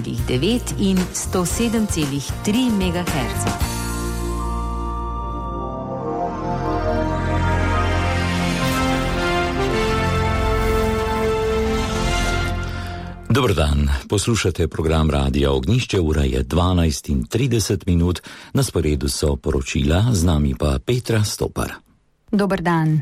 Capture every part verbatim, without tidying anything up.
devet in sto sedem celih tri megaherca. Dober dan, poslušate program Radia Ognjišče, ura je dvanajst in trideset minut, na sporedu so poročila, z nami pa Petra Stopar. Dober dan.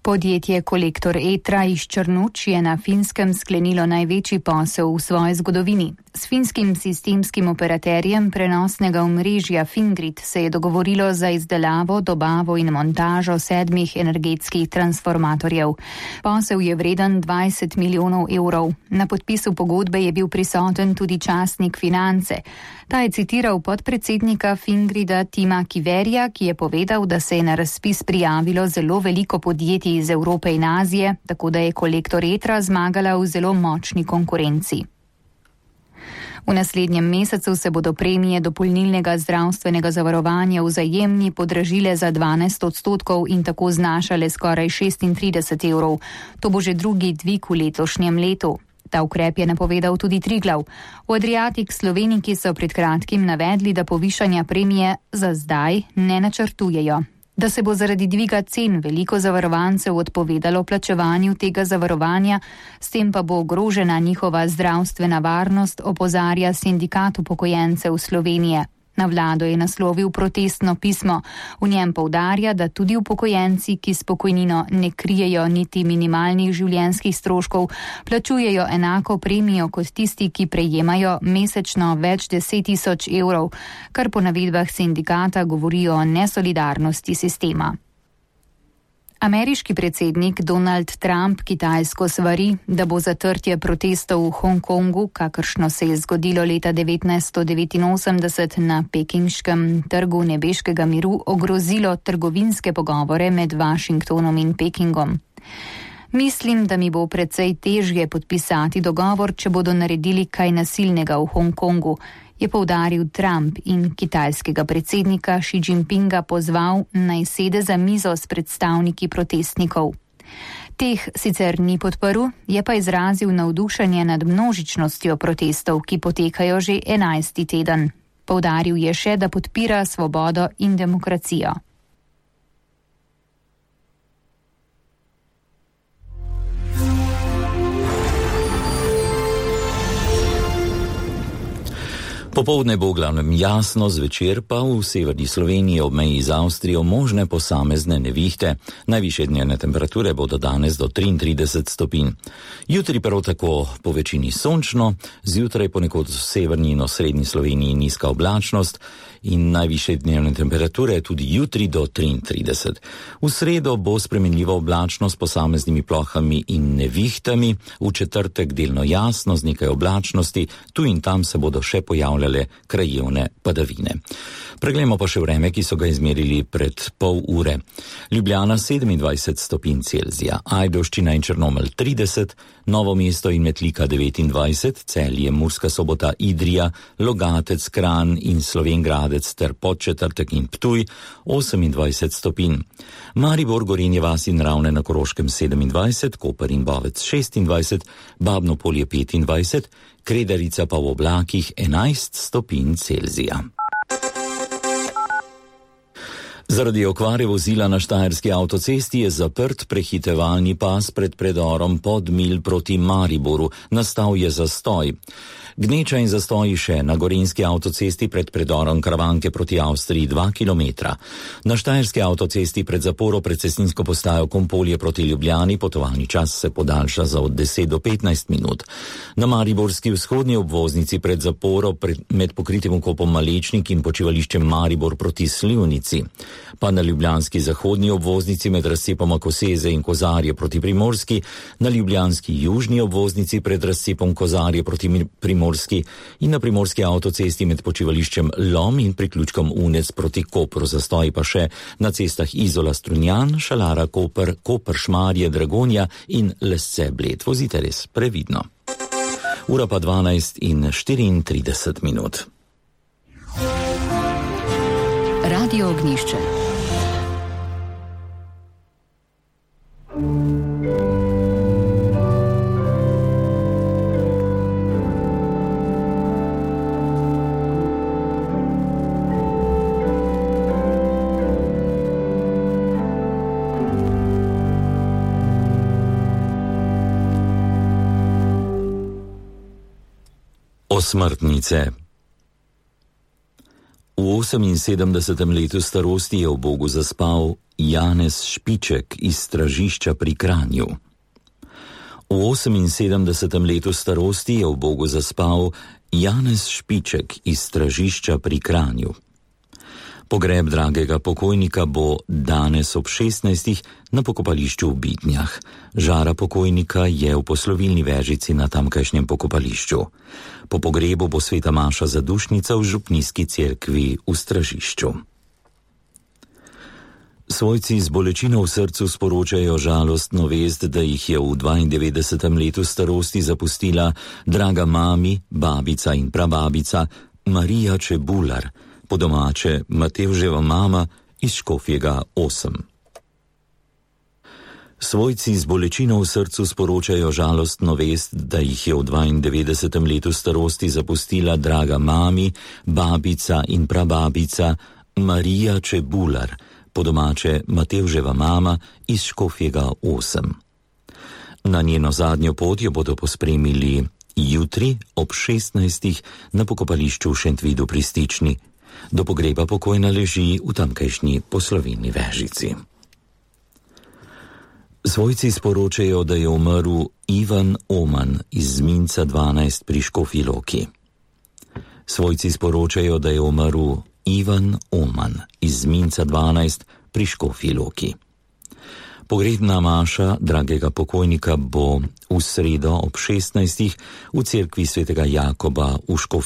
Podjetje Kolektor Etra iz Črnuč je na Finskem sklenilo največji posel v svoji zgodovini. S finskim sistemskim operaterjem prenosnega omrežja Fingrid se je dogovorilo za izdelavo, dobavo in montažo sedmih energetskih transformatorjev. Posel je vreden dvajset milijonov evrov. Na podpisu pogodbe je bil prisoten tudi častnik Finance. Ta je citiral podpredsednika Fingrida Tima Kiverja, ki je povedal, da se je na razpis prijavilo zelo veliko podjetij iz Evrope in Azije, tako da je Kolektor Etra zmagala v zelo močni konkurenci. V naslednjem mesecu se bodo premije dopolnilnega zdravstvenega zavarovanja v Vzajemni podražile za dvanajst odstotkov in tako znašale skoraj šestintrideset evrov. To bo že drugi dvig v letošnjem letu. Ta ukrep je napovedal tudi Triglav. V Adriatic Sloveniki so pred kratkim navedli, da povišanja premije za zdaj ne načrtujejo. Da se bo zaradi dviga cen veliko zavarovancev odpovedalo plačevanju tega zavarovanja, s tem pa bo ogrožena njihova zdravstvena varnost, opozarja Sindikat upokojencev Slovenije. Na vlado je naslovil protestno pismo. V njem poudarja, da tudi upokojenci, ki s pokojnino ne krijejo niti minimalnih življenjskih stroškov, plačujejo enako premijo kot tisti, ki prejemajo mesečno več deset tisoč evrov, kar po navedbah sindikata govori o nesolidarnosti sistema. Ameriški predsednik Donald Trump Kitajsko svari, da bo zatrtje protestov v Hongkongu, kakršno se je zgodilo leta devetnajststo devetinosemdeset na pekinškem trgu nebeškega miru, ogrozilo trgovinske pogovore med Washingtonom in Pekingom. Mislim, da mi bo precej težje podpisati dogovor, če bodo naredili kaj nasilnega v Hongkongu, je poudaril Trump in kitajskega predsednika Xi Jinpinga pozval, naj sede za mizo s predstavniki protestnikov. Teh sicer ni podprl, je pa izrazil navdušenje nad množičnostjo protestov, ki potekajo že enajsti teden. Poudaril je še, da podpira svobodo in demokracijo. Popoldne bo v glavnem jasno, zvečer pa v severni Sloveniji ob meji z Avstrijo možne posamezne nevihte. Najvišje dnevne temperature bodo danes do triintrideset stopinj. Jutri prav tako po večini sončno, zjutraj ponekod v severni in osrednji Sloveniji nizka oblačnost in najvišje dnevne temperature tudi jutri do triintrideset. V sredo bo spremenljiva oblačnost s posameznimi plohami in nevihtami, v četrtek delno jasno z nekaj oblačnosti, tu in tam se bodo še pojavljale krajevne padavine. Preglejmo pa še vreme, ki so ga izmerili pred pol ure. Ljubljana sedemindvajset stopinj Celzija, Ajdovščina in Črnomelj trideset, Novo mesto in Metlika devetindvajset, Celje, Murska Sobota, Idrija, Logatec, Kranj in Slovenjgradec ter Podčetrtek in Ptuj osemindvajset stopinj. Maribor, Gorenje vas in Ravne na Koroškem sedemindvajset, Koper in Bovec šestindvajset, Babno Polje petindvajset, Kredarica pa v oblakih enajst stopinj Celzija. Zaradi okvare vozila na štajerski avtocesti je zaprt prehitevalni pas pred predorom Podmilj proti Mariboru. Nastal je zastoj. Gneča in zastoji še na gorenjski avtocesti pred predorom Karavanke proti Avstriji dva kilometra. Na štajerski avtocesti pred zaporo pred cestninsko postajo Kompolje proti Ljubljani potovalni čas se podaljša za od deset do petnajst minut. Na mariborski vzhodni obvoznici pred zaporo pred, med pokritim vkopom Malečnik in počivališčem Maribor proti Slivnici. Pa na ljubljanski zahodni obvoznici med razcepoma Koseze in Kozarje proti Primorski, na ljubljanski južni obvoznici pred razcepom Kozarje proti Primorski in na primorski avtocesti med počivališčem Lom in priključkom Unec proti Kopru. Zastoji pa še na cestah Izola Strunjan, Šalara Koper, Koper Šmarje, Dragonja in Lesce Bled. Vozite res previdno. Ura pa dvanajst in štiriintrideset minut. Radio Ognjišče. Osmrtnice. V oseminsedemdesetem letu starosti je v Bogu zaspal Janez Špiček iz Stražišča pri Kranju. V oseminsedemdesetem letu starosti je v Bogu zaspal Janez Špiček iz Stražišča pri Kranju. Pogreb dragega pokojnika bo danes ob šestnajstih na pokopališču v Bitnjah. Žara pokojnika je v poslovilni vežici na tamkajšnjem pokopališču. Po pogrebu bo sveta maša zadušnica v župnijski cerkvi v Stražišču. Svojci z bolečino v srcu sporočajo žalostno vest, da jih je v dvaindevetdesetem letu starosti zapustila draga mami, babica in prababica Marija Čebular, po domače Matevževa mama iz Škofjega osem. Svojci z bolečino v srcu sporočajo žalostno vest, da jih je v dvaindevetdesetem letu starosti zapustila draga mami, babica in prababica Marija Čebular, po domače Matevževa mama iz Škofjega osem. Na njeno zadnjo pot jo bodo pospremili jutri ob šestnajstih na pokopališču v Šentvidu pri Stični. Do pogreba pokojna leži v tamkajšnji poslovilni vežici. Svojci sporočajo, da je umrl Ivan Oman iz Zminca dvanajst pri Škofji Loki. Svojci sporočajo, da je umrl Ivan Oman iz Zminca dvanajst pri Škofji Loki. Pogrebna maša dragega pokojnika bo v sredo ob šestnajstih v cerkvi svetega Jakoba v Škofji